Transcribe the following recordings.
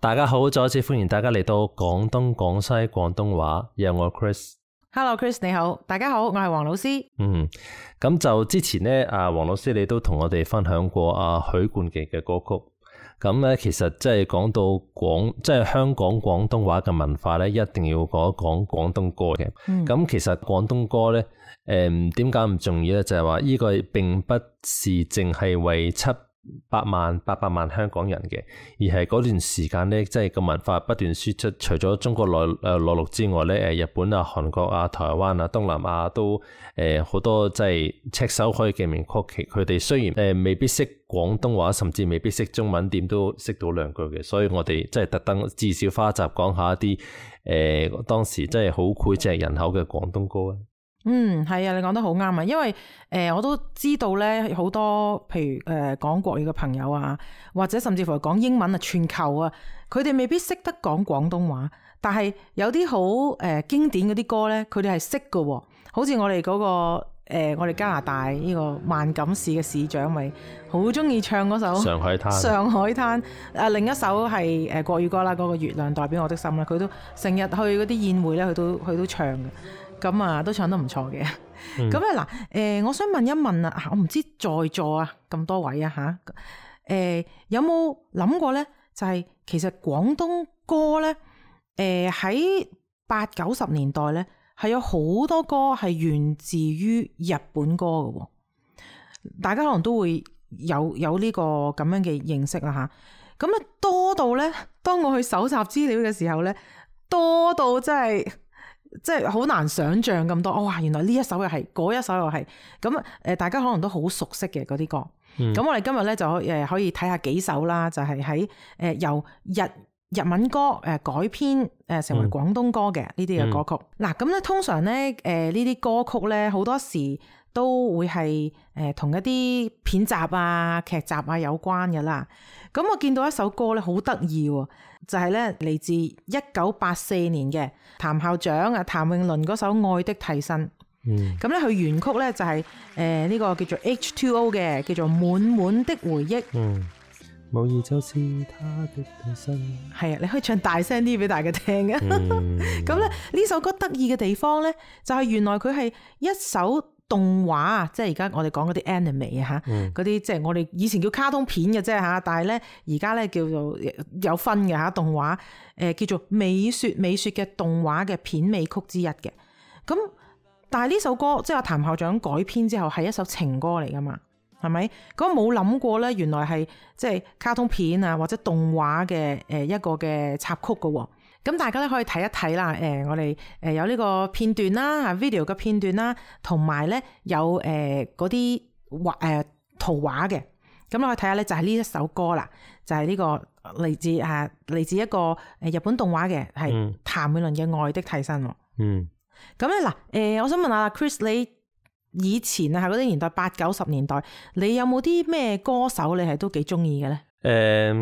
大家好，再一次歡迎大家嚟到廣東廣西廣東話，有我 Chris。Hello Chris， 你好，大家好，我係黃老師。咁就之前咧，黃老師你都同我哋分享過許冠傑嘅歌曲。咁咧，其實即係講到即係香港廣東話嘅文化咧，一定要講一講廣東歌嘅。咁其實廣東歌咧，點解唔重要咧？就係話呢個並不是淨係為700萬、800萬香港人嘅，而係嗰段時間咧，即係個文化不斷輸出。除咗中國內陸之外咧，日本啊、韓國啊、台灣啊、東南亞都好多即係炙手可以嘅名曲。佢哋雖然未必識廣東話，甚至未必識中文，點都識到兩句嘅。所以我哋即係特登至少花一集講下一啲當時即係好膾炙人口嘅廣東歌啊。係啊，你講得好啱啊，因為我都知道咧，好多譬如講國語嘅朋友啊，或者甚至乎講英文啊、全球啊，佢哋未必識得講廣東話，但係有啲好經典嗰啲歌咧，佢哋係識㗎喎。好似我哋嗰個我哋加拿大呢個萬錦市嘅市長咪好中意唱嗰首《上海灘》。上海灘另一首係國語歌啦，嗰個月亮代表我的心啦，佢都成日去嗰啲宴會咧，佢都唱嘅。咁都唱得唔錯嘅。咁嗱，我想問一問啊，我唔知在座啊咁多位啊吓，有冇諗過咧？就係其實廣東歌咧，喺80-90年代咧，係有好多歌係源自於日本歌嘅。大家可能都會有呢個咁樣嘅認識啦吓。咁多到咧，當我去搜集資料嘅時候咧，多到真係。即係好難想像咁多，哇！原來呢一首又係，嗰一首又係，咁大家可能都好熟悉嘅嗰啲歌。咁我哋今日咧就可以睇下幾首啦，就係喺由日文歌改編成為廣東歌嘅呢啲嘅歌曲。嗱，咁咧通常咧呢啲歌曲咧好多時都會係同一啲片集啊、劇集啊有關嘅啦。咁我見到一首歌咧好得意喎，就係咧嚟自1984年嘅譚校長譚詠麟嗰首《愛的替身》。咁咧佢原曲咧就係呢個叫做 H2O 嘅，叫做滿滿的回憶。無疑就是他的替身。係啊，你可以唱大聲啲俾大家聽嘅。咁咧呢首歌得意嘅地方咧，就係原來佢係一首動畫啊，即係而家我哋講嗰啲 anime 啊嚇，嗰啲即係我哋以前叫卡通片嘅啫嚇，但係咧而家咧叫做有分嘅嚇動畫，叫做美雪嘅動畫嘅片尾曲之一嘅。咁但係呢首歌即係阿譚校長改編之後係一首情歌嚟噶嘛，係咪？咁冇諗過咧，原來係即係卡通片啊或者動畫嘅一個嘅插曲噶喎。咁大家咧可以睇一睇啦，我哋有呢個片段啦，video 嘅片段啦，同埋咧有嗰啲圖畫嘅。咁你可以睇下咧，就係呢一首歌啦，就係呢個嚟自一個日本動畫嘅，係譚詠麟嘅《愛的替身》。咁咧嗱，我想問下 Chris， 你以前啊喺嗰啲年代80-90年代，你有冇啲咩歌手你係都幾中意嘅咧？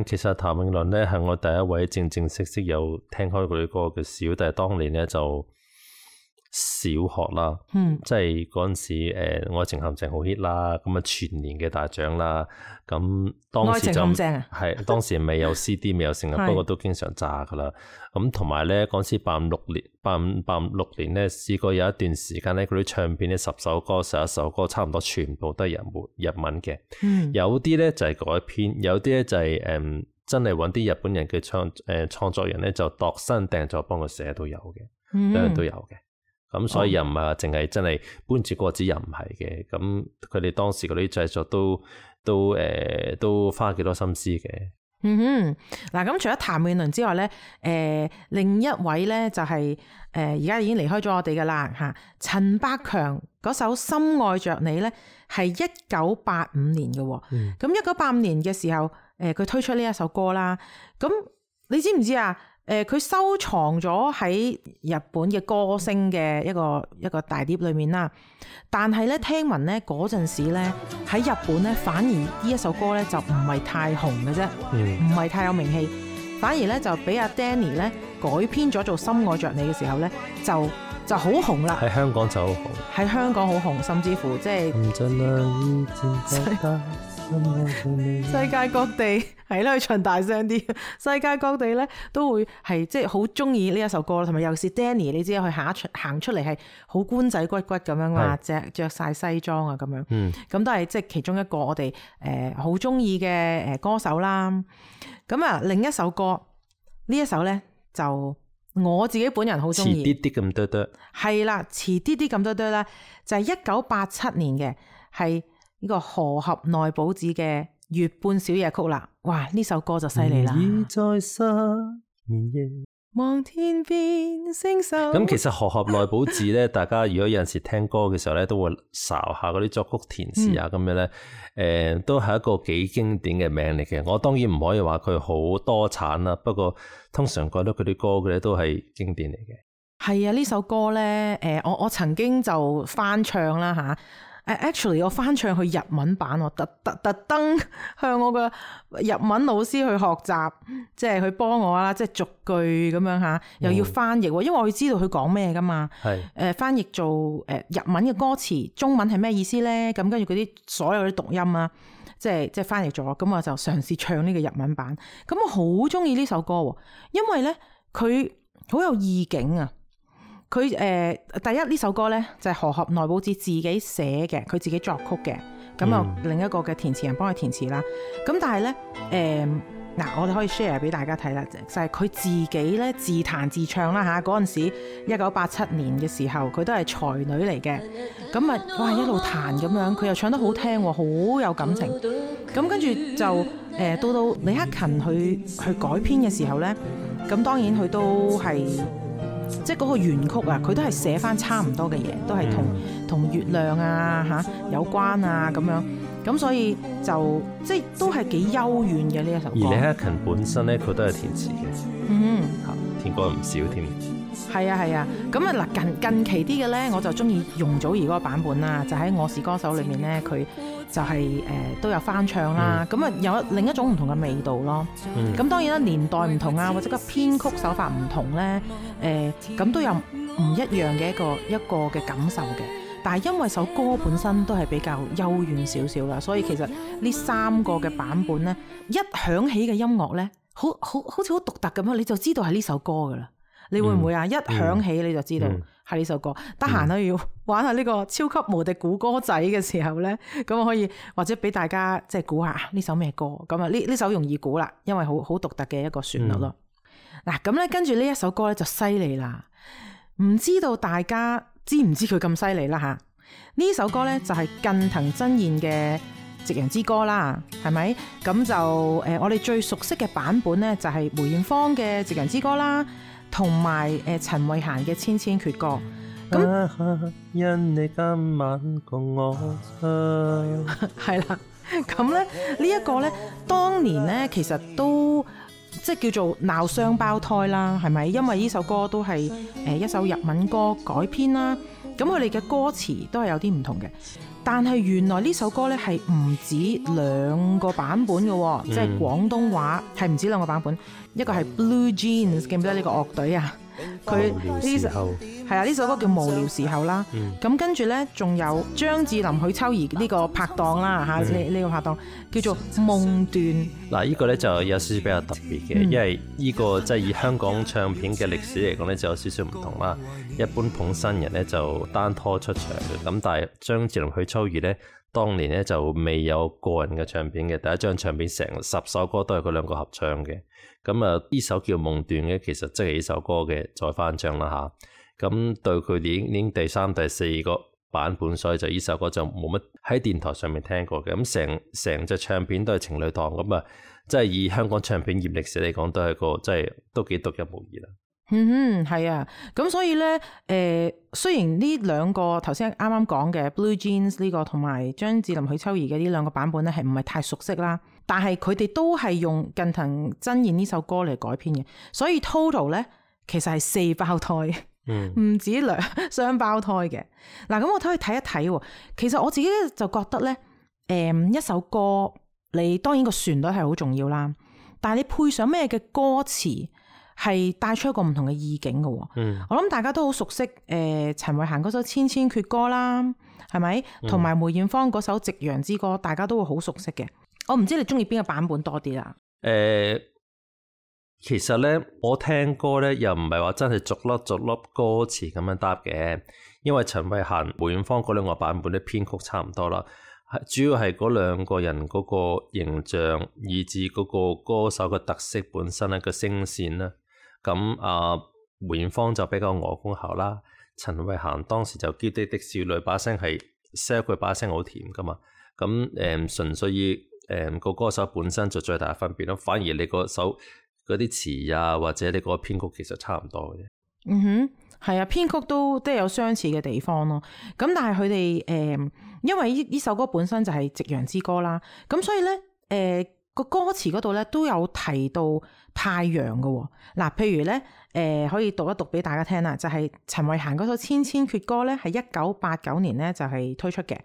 其實譚詠麟咧係我第一位正式有聽開佢啲歌嘅小弟，當年咧就小學啦，即係嗰陣時愛情陷阱好 hit 啦，咁啊全年嘅大獎啦，咁當時就係當時未有 CD 未有成日，不過都經常炸噶啦。咁同埋咧嗰陣時85-86年咧試過有一段時間咧，嗰啲唱片咧10首歌11首歌差唔多全部都係日文嘅，有啲咧就係改編，有啲咧就係真係揾啲日本人嘅創作人咧就度身訂做幫佢寫都有嘅，兩樣都有嘅。咁所以又唔係話淨係真係搬住個字又唔係嘅，咁佢哋當時嗰啲製作都花幾多心思嘅。嗱，咁除咗譚詠麟之外咧，另一位咧就係而家已經離開咗我哋噶啦吓，陳百強嗰首《深愛着你》咧係1985年嘅。咁1985年嘅時候，佢推出呢一首歌啦。咁你知唔知啊？佢收藏咗喺日本嘅歌星嘅一個大碟裏面啦，但係咧聽聞咧嗰陣時咧喺日本咧反而呢一首歌咧就唔係太紅嘅啫，唔係太有名氣，反而咧就俾阿 Danny 咧改編咗做《深愛着你》嘅時候咧就好紅啦，喺香港就好紅，喺香港好紅，甚至乎即係世界各地係啦，唱大聲啲。世界各地咧都會係即係好中意呢一首歌，同埋尤其是 Danny， 你知佢行出嚟係好官仔骨骨咁樣嘛，着晒西裝啊咁樣。咁都係即係其中一個我哋好中意嘅歌手啦。咁啊，另一首歌呢一首咧就我自己本人好中意，遲啲啲咁多多，係啦，遲啲啲咁多多咧，就係1987年嘅，係呢個河合奈保子嘅《月半小夜曲》啦。哇，呢首歌就犀利啦！望天邊星宿。咁其實河合奈保子咧，大家如果有陣時聽歌嘅時候咧，都會查下嗰啲作曲填詞啊咁樣咧，都係一個幾經典嘅名嚟嘅。我當然唔可以話佢好多產啦，不過通常覺得佢啲歌嘅咧都係經典嚟嘅。係啊，呢首歌咧，我曾經就翻唱啦吓。actually 我翻唱去日文版，我特登向我個日文老師去學習，即係佢幫我啦，即係逐句咁樣吓，又要翻譯，因為我要知道佢講咩噶嘛。係翻譯做日文嘅歌詞，中文係咩意思咧？咁跟住嗰啲所有啲讀音啊，即係翻譯咗，咁我就嘗試唱呢個日文版。咁我好中意呢首歌，因為咧佢好有意境啊。佢第一呢首歌咧就係河合奈保子自己寫嘅，佢自己作曲嘅，咁啊另一個嘅填詞人幫佢填詞啦。咁但係咧我哋可以 share 俾大家睇啦，就係佢自己咧自彈自唱啦嚇。嗰陣時1987年嘅時候，佢都係才女嚟嘅。咁啊哇一路彈咁樣，佢又唱得好聽喎，好有感情。咁跟住就到李克勤去改編嘅時候咧，咁當然佢都係。即係嗰個原曲啊，佢都係寫翻差唔多嘅嘢，都係同月亮啊有關啊咁樣，咁所以就即係都係幾幽怨嘅呢一首歌。而李克勤本身咧，佢都係填詞嘅，填過唔少添。係啊，咁啊嗱近期啲嘅咧，我就中意容祖兒嗰個版本啦，就喺《我是歌手》裏面咧，佢就係都有翻唱啦，咁啊有另一種唔同嘅味道咯。咁當然啦，年代唔同啊，或者個編曲手法唔同咧，咁都有唔一樣嘅一個嘅感受嘅。但係因為首歌本身都係比較幽怨少少啦，所以其實呢三個嘅版本咧，一響起嘅音樂咧，好似好獨特咁樣，你就知道係呢首歌噶啦。你會唔會啊？一響起你就知道係呢首歌。得閒咧要玩下呢個超級無敵估歌仔嘅時候咧，咁我可以或者俾大家即係估下呢首咩歌。咁啊呢首容易估啦，因為好獨特嘅一個旋律咯。嗱咁咧跟住呢一首歌咧就犀利啦，唔知道大家知唔知佢咁犀利啦吓？呢首歌咧就係近藤真彥嘅《夕陽之歌》啦，係咪？咁就我哋最熟悉嘅版本咧就係梅艷芳嘅《夕陽之歌》啦。同埋陳慧嫻嘅《千千闕歌》咁，因你今晚共我係啦。咁咧呢一個咧，當年咧其實都即係叫做鬧雙胞胎啦，係咪？因為呢首歌都係一首日文歌改編啦。咁佢哋嘅歌詞都係有啲唔同嘅，但係原來呢首歌咧係唔止兩個版本嘅，即係廣東話係唔止兩個版本。一個係 Blue Jeans， 記唔記得呢個樂隊啊？佢呢首係啊，呢首歌叫《無聊時候》啦。咁跟住咧，仲有張智霖、許秋怡呢個拍檔啦嚇，呢個拍檔叫做夢斷。嗱，呢個咧就有少少比較特別嘅，因為呢個即係以香港唱片嘅歷史嚟講咧，就有少少唔同啦。一般捧新人咧就單拖出場嘅，咁但係張智霖、許秋怡咧，當年咧就未有個人嘅唱片嘅，第一張唱片成10首歌都係佢兩個合唱嘅。咁啊，呢首叫《夢斷》嘅，其實即係呢首歌嘅再翻唱啦吓。咁對佢哋已經第3、第4個版本，所以就呢首歌就冇乜喺電台上面聽過嘅。咁成隻唱片都係情侶檔，咁啊，即係以香港唱片業歷史嚟講，都係個即係都幾獨一無二啦。係啊，咁所以咧，雖然呢兩個頭先啱啱講嘅 Blue Jeans 呢個同埋張智霖、許秋怡嘅呢兩個版本咧，係唔係太熟悉啦？但係佢哋都係用近藤真彥呢首歌嚟改編嘅，所以 total 咧其實係4胞胎，唔止雙胞胎嘅。嗱，咁我可以睇一睇，其實我自己就覺得咧，一首歌你當然個旋律係好重要啦，但係你配上咩嘅歌詞係帶出一個唔同嘅意境嘅。我諗大家都好熟悉陳慧嫻嗰首《千千闕歌》啦，係咪？同埋梅艷芳嗰首《夕陽之歌》，大家都會好熟悉嘅。我唔知你中意邊個版本多啲啦。其實咧，我聽歌咧又唔係話真係逐粒逐粒歌詞咁樣答嘅，因為陳慧嫻、梅艷芳嗰兩個版本咧編曲差唔多啦。主要係嗰兩個人嗰個形象，以至嗰個歌手嘅特色本身咧個聲線啦。咁梅艷芳就比較鵝公喉啦，陳慧嫻當時就嬌滴滴少女，把聲係 sell 佢把聲好甜噶嘛。咁純粹以個歌手本身就最大嘅分別咯。反而你個首嗰啲詞啊，或者你個編曲其實差唔多嘅。係啊，編曲都有相似嘅地方咯。咁但係佢哋因為呢首歌本身就係夕陽之歌啦，咁所以咧個歌詞嗰度咧都有提到太陽嘅。嗱，譬如咧可以讀一讀俾大家聽啦，就係陳慧嫻嗰首《千千闕歌》咧，係1989年咧就係推出嘅。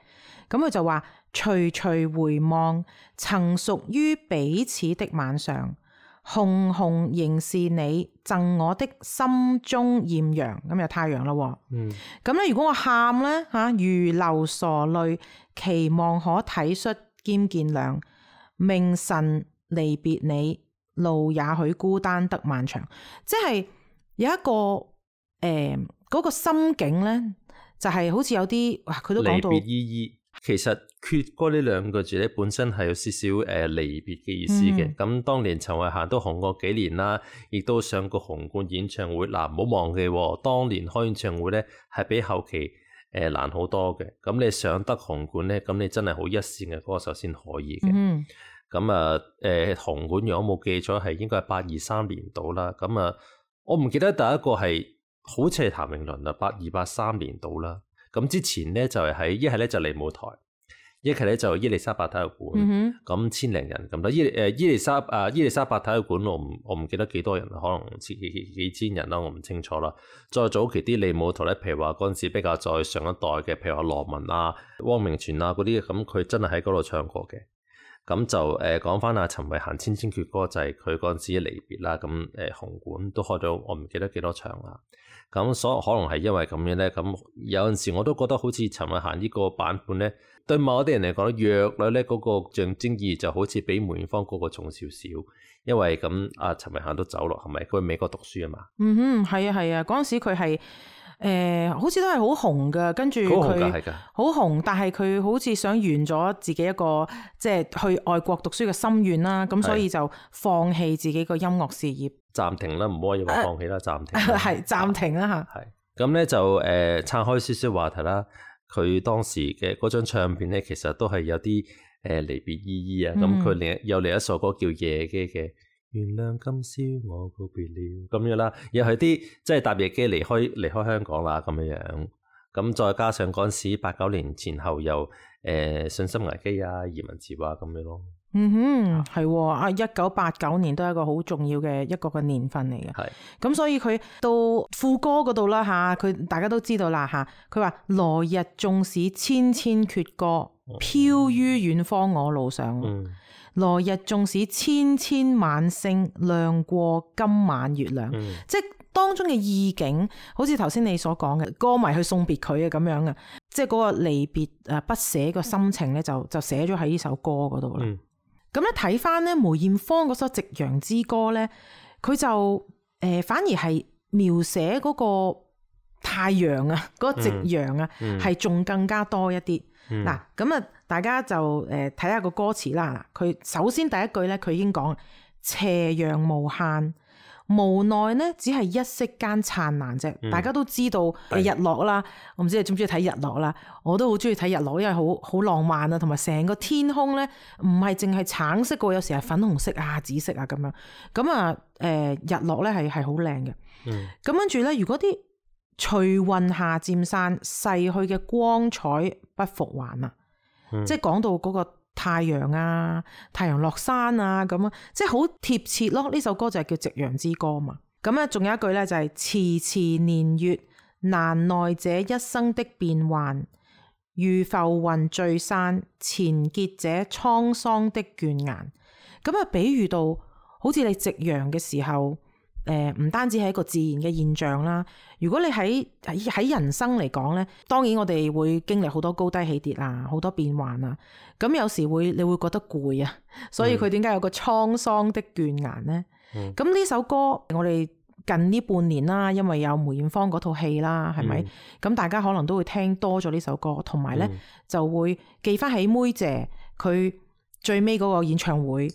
咁佢就話：徐徐回望，曾屬於彼此的晚上。紅紅仍是你贈我的心中豔陽，咁有太陽咯。咁咧，如果我喊咧如流傻淚，期望可體恤兼見諒。明晨離別你，路也許孤單得漫長。即係有一個嗰個心境咧，就係好似有啲佢都講到離別依依。其實闕歌呢兩個字咧，本身係有少少離別嘅意思嘅。咁當年陳慧嫻都紅過幾年啦，亦都上過紅館演唱會。唔好忘記當年開演唱會咧係比後期難好多嘅。咁你上得紅館咧，咁你真係好一線嘅歌手先可以嘅。咁紅館如果冇記錯係應該係823年到啦。咁我唔記得第一個係好似係譚詠麟啦，82、83年到啦。咁之前咧就係一係咧就利舞台，一係咧就伊利沙伯體育館，咁千零人咁多。伊利沙伯體育館我唔記得幾多人，可能幾千人啦，我唔清楚啦。再早期啲利舞台咧，譬如話嗰陣時比較再上一代嘅，譬如話羅文啊、汪明荃啊嗰啲，咁佢真係喺嗰度唱過嘅。咁就講翻阿陳慧嫻《千千闕歌》就係佢嗰陣時嘅離別啦。咁紅館都開咗，我唔記得幾多場啦。咁所以可能係因為咁樣咧，咁有陣時我都覺得好似陳慧嫻呢個版本咧，對某啲人嚟講弱女咧嗰個象徵意義就好似比梅艷芳嗰個重少少，因為咁阿陳慧嫻都走落，係咪？佢去美國讀書啊嘛。係啊係啊，嗰陣時佢係好似都係好紅噶，跟住佢好紅，但係佢好似想圓咗自己一個即係去外國讀書嘅心願啦，咁所以就放棄自己個音樂事業。暫停啦，唔可以話放棄啦，暫停。係暫停啦嚇。係咁咧就岔開少少話題啦。佢當時嘅嗰張唱片咧，其實都係有啲離別依依啊。咁佢有另一首歌叫《夜機》嘅，原諒今宵我告別了咁樣啦。又係啲即係搭夜機離開香港啦咁樣樣。咁再加上嗰陣時89年前後又信心危機啊、移民潮啊咁樣咯。係1989年都係一個好重要嘅一個嘅年份嚟嘅。咁所以佢到副歌嗰度啦嚇，佢大家都知道啦嚇。佢話來日縱使千千闕歌，飄於遠方我路上。來日縱使千千晚星，亮過今晚月亮。即係當中嘅意境，好似頭先你所講嘅歌迷去送別佢嘅咁樣嘅，即係嗰個離別不捨個心情咧，就寫咗喺呢首歌嗰度啦。咁咧睇翻咧梅艷芳嗰首《夕陽之歌》咧，佢就反而係描寫嗰個太陽啊，嗰個夕陽啊，係仲更加多一啲。嗱，咁啊，大家就睇下個歌詞啦。佢首先第一句咧，佢已經講斜陽無限，無奈呢只係一息間燦爛啫。大家都知道日落啦，我唔知你中唔中意睇日落啦，我都好中意睇日落，因為好浪漫啊，同埋成個天空咧唔係淨係橙色嘅，有時係粉紅色啊、紫色啊咁樣。咁啊，日落咧係好靚嘅。咁跟住咧，如果啲隨雲霞漸散，逝去嘅光彩不復還啊！即係講到嗰個太陽啊，太陽落山啊咁啊，即係好貼切咯。呢首歌就係叫《夕陽之歌》嘛。咁咧，仲有一句咧就係遲遲年月，難耐這一生的變幻，如浮雲聚散，纏結這滄桑的倦顏。咁啊，比喻到好似你夕陽嘅時候，唔單止係一個自然嘅現象啦。如果你喺人生嚟講咧，當然我哋會經歷好多高低起跌啊，好多變幻啊。咁有時你會覺得攰啊，所以佢點解有個滄桑的倦顏咧？咁呢首歌我哋近呢半年啦，因為有梅艷芳嗰套戲啦，係咪？咁大家可能都會聽多咗呢首歌，同埋咧就會記翻起妹姐佢最尾嗰個演唱會，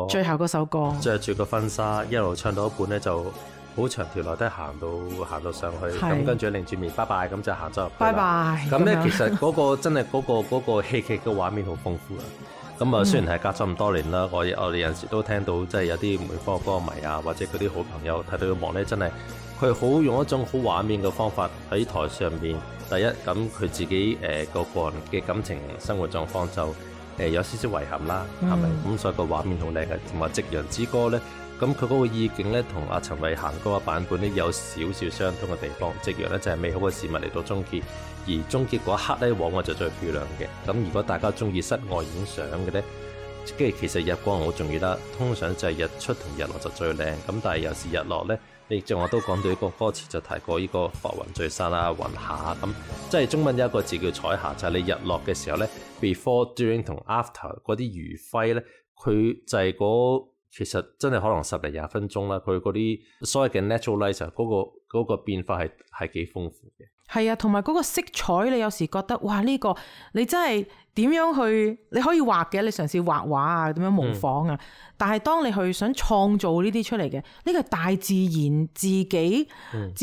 最後嗰首歌，着住個婚紗一路唱到一半咧，就好長條樓梯行到上去，咁跟住擰住面拜拜，咁就行咗入去。拜拜。咁咧其實嗰個真係嗰個戲劇嘅畫面好豐富啊！咁啊，雖然係隔咗咁多年啦，我哋有陣時都聽到，即係有啲梅艷芳歌迷啊，或者嗰啲好朋友睇到個幕咧，真係佢好用一種好畫面嘅方法喺台上面。第一，咁佢自己個人嘅感情生活狀況就有少少遺憾啦，係咪？咁所以個畫面好靚嘅，同埋《夕陽之歌》咧，咁佢嗰個意境咧，同阿陳慧嫻嗰個版本咧有少少相通嘅地方。夕陽咧就係美好嘅事物嚟到終結，而終結嗰一刻咧，往往就最漂亮嘅。咁如果大家中意室外影相嘅咧，跟住其實日光好重要啦。通常就係日出同日落就最靚。咁但係有時日落咧，你正話都講到一個歌詞就提過呢個浮雲聚散啦、雲下咁，即係中文有一個字叫彩霞，就係你日落嘅時候咧 ，before、during 同 after 嗰啲餘暉咧，佢就係其實真係可能10零20分鐘啦。佢嗰啲所謂嘅 natural light 嗰個變化係幾豐富嘅。係啊，同埋嗰個色彩，你有時覺得哇呢個你真係點樣去？你可以畫嘅，你嘗試畫畫啊，點樣模仿啊？但係當你去想創造呢啲出嚟嘅，呢個係大自然自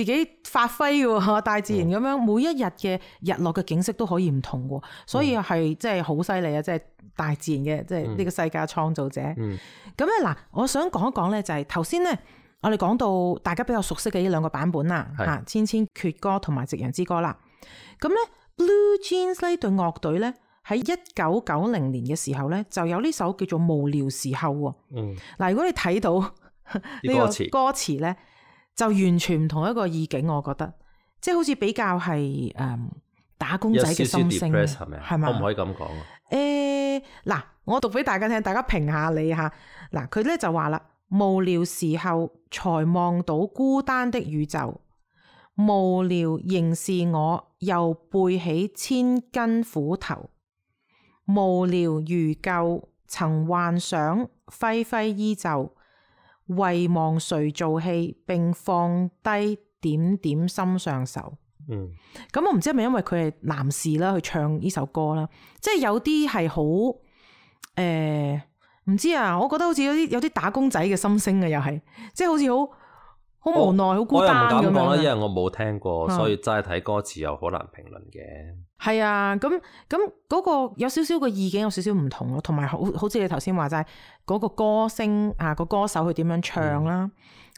己發揮嘅，大自然咁樣每一日嘅日落嘅景色都可以唔同嘅，所以係真係好犀利啊！即係大自然嘅，即係呢個世界創造者。咁咧嗱，我想講一講咧，就係頭先咧。我哋講到大家比較熟悉嘅呢兩個版本啦，《千千闕歌》同埋《夕陽之歌》啦。咁咧，Blue Jeans 呢隊樂隊咧喺1990年嘅時候咧就有呢首叫做《無聊時候》喎。嗱，如果你睇到呢個歌詞咧，就完全唔同一個意境，我覺得，即係好似比較係打工仔嘅心聲，係咪？可唔可以咁講啊？嗱，我讀俾大家聽，大家評下你嚇。嗱，佢咧就話啦。無聊時候才望到孤單的宇宙，無聊仍是我又背起千斤斧頭，無聊如舊曾幻想揮揮衣袖，遺忘誰做戲並放低點點心上愁。咁我唔知係咪因為佢係男士啦去唱呢首歌啦，即係有啲係好唔知啊，我覺得好似有啲打工仔嘅心聲啊，又係即係好似好無奈、好孤單咁樣。我又唔敢講啦，因為我冇聽過，所以齋睇歌詞又好難評論嘅。係啊，咁嗰個有少少嘅意境有少少唔同咯，同埋好似你頭先話齋嗰個歌聲啊，個歌手佢點樣唱啦，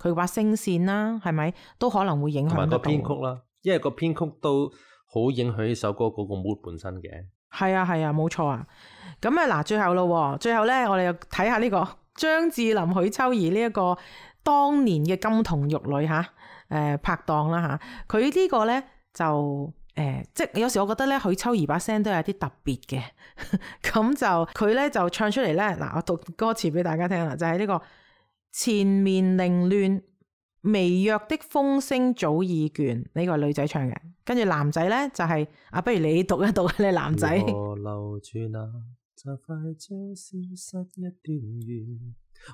佢把聲線啦，係咪都可能會影響到個編曲啦？因為個編曲都好影響呢首歌嗰個 mood 本身嘅。係啊，冇錯啊。咁嗱，最後咯，最後咧，我哋又睇下呢個張智霖、許秋怡呢一個當年嘅金童玉女拍檔啦嚇。佢呢個咧就即係有時我覺得咧，許秋怡把聲都有啲特別嘅。咁就佢咧就唱出嚟咧，嗱，我讀歌詞俾大家聽啦，就係呢個前面凌亂微弱的風聲早已倦，呢個係女仔唱嘅。跟住男仔咧就係不如你讀一讀，你男仔。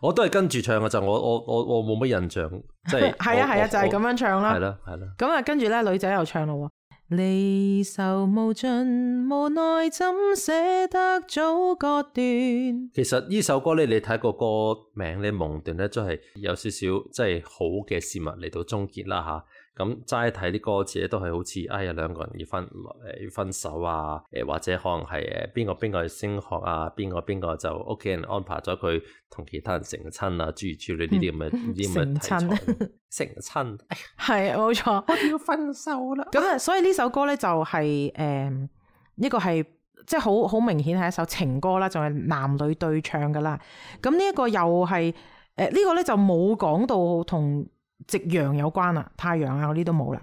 我都係跟住唱嘅，就我冇乜印象，即係係啊，就係咁樣唱啦。係啦。咁啊，跟住咧女仔又唱咯。離愁無盡，無奈怎捨得早割斷。其實呢首歌咧，你睇個歌名咧，夢斷咧，都係有少少即係好嘅事物嚟到終結啦吓。咁齋睇啲歌詞咧，都係好似兩個人要分手啊，或者可能係邊個去升學啊，邊個就屋企人安排咗佢同其他人成親啊，諸如此類呢啲咁嘅題材。成親係冇錯，我哋要分手啦。咁啊，所以呢首歌咧就係呢個係即係好明顯係一首情歌啦，仲係男女對唱噶啦。咁呢一個又係呢個咧就冇講到同夕陽有關啦，太陽啊嗰啲都冇啦。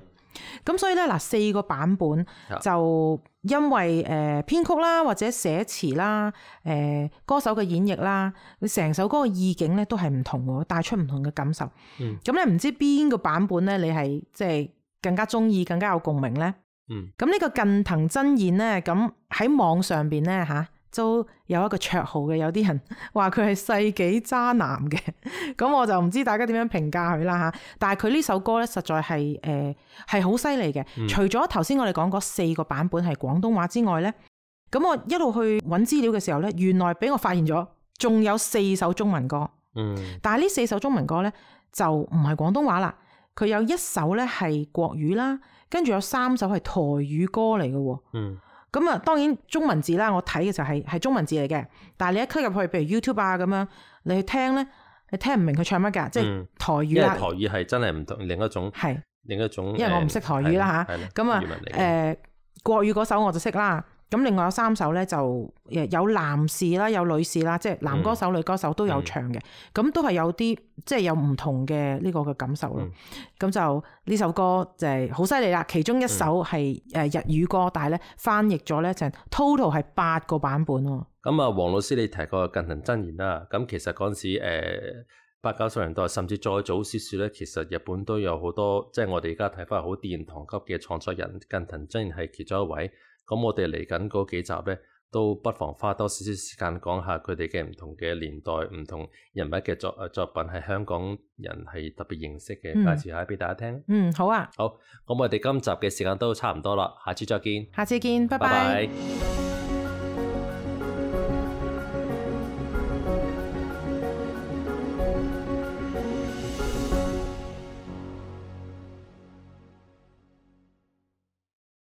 咁所以咧嗱，4個版本就因為編曲啦，或者寫詞啦，歌手嘅演繹啦，成首歌嘅意境咧都係唔同喎，帶出唔同嘅感受。咁咧唔知邊個版本咧，你係即係更加中意、更加有共鳴咧？咁呢個近藤真彥咧，咁喺網上邊咧嚇，都有一個綽號嘅，有啲人話佢係世紀渣男嘅，咁我就唔知大家點樣評價佢啦嚇。但係佢呢首歌咧，實在係好犀利嘅。除咗頭先我哋講嗰4個版本係廣東話之外咧，咁我一路去揾資料嘅時候咧，原來俾我發現咗，仲有4首中文歌。但係呢4首中文歌咧就唔係廣東話啦，佢有1首咧係國語啦，跟住有3首係台語歌嚟嘅喎。咁啊，當然中文字啦，我睇嘅就係中文字嚟嘅。但係你一 click 入去，譬如 YouTube 啊咁樣，你去聽咧，你聽唔明佢唱乜㗎？即係台語啦。因為台語係真係唔同，另一種。因為我唔識台語啦嚇。咁啊國語嗰首我就識啦。咁另外有3首咧就有男士啦，有女士啦，即係男歌手、女歌手都有唱嘅。咁都係有啲即係有唔同嘅呢個嘅感受咯。咁就呢首歌就係好犀利啦。其中1首係日語歌，但係咧翻譯咗咧就 total 係8個版本喎。咁啊，黃老師你提過近藤真彥啦。咁其實嗰陣時80-90年代，甚至再早少少咧，其實日本都有好多即係我哋而家睇翻好殿堂級嘅創作人，近藤真彥係其中一位。咁我哋嚟緊嗰幾集咧，都不妨花多少少時間講下佢哋嘅唔同嘅年代、唔同人物嘅作品，係香港人係特別認識嘅，介紹下俾大家聽。好啊。好，咁我哋今集嘅時間都差唔多啦，下次再見。下次見，拜拜。